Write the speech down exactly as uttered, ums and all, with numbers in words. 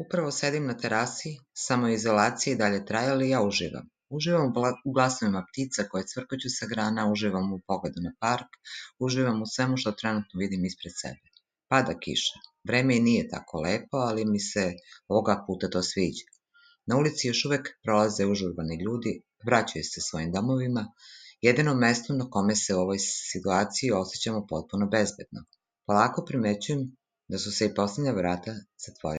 Upravo sedim na terasi, samoizolacija i dalje traje, ali ja uživam. Uživam u bla- u glasovima ptica koje cvrkuću sa grana, uživam u pogledu na park, uživam u svemu što trenutno vidim ispred sebe. Pada kiša. Vreme i nije tako lepo, ali mi se ovoga puta to sviđa. Na ulici još uvek prolaze užurbani ljudi, vraćaju se svojim domovima, jedino mesto na kome se u ovoj situaciji osjećamo potpuno bezbedno. Polako primećujem da su se i poslednja vrata zatvorila.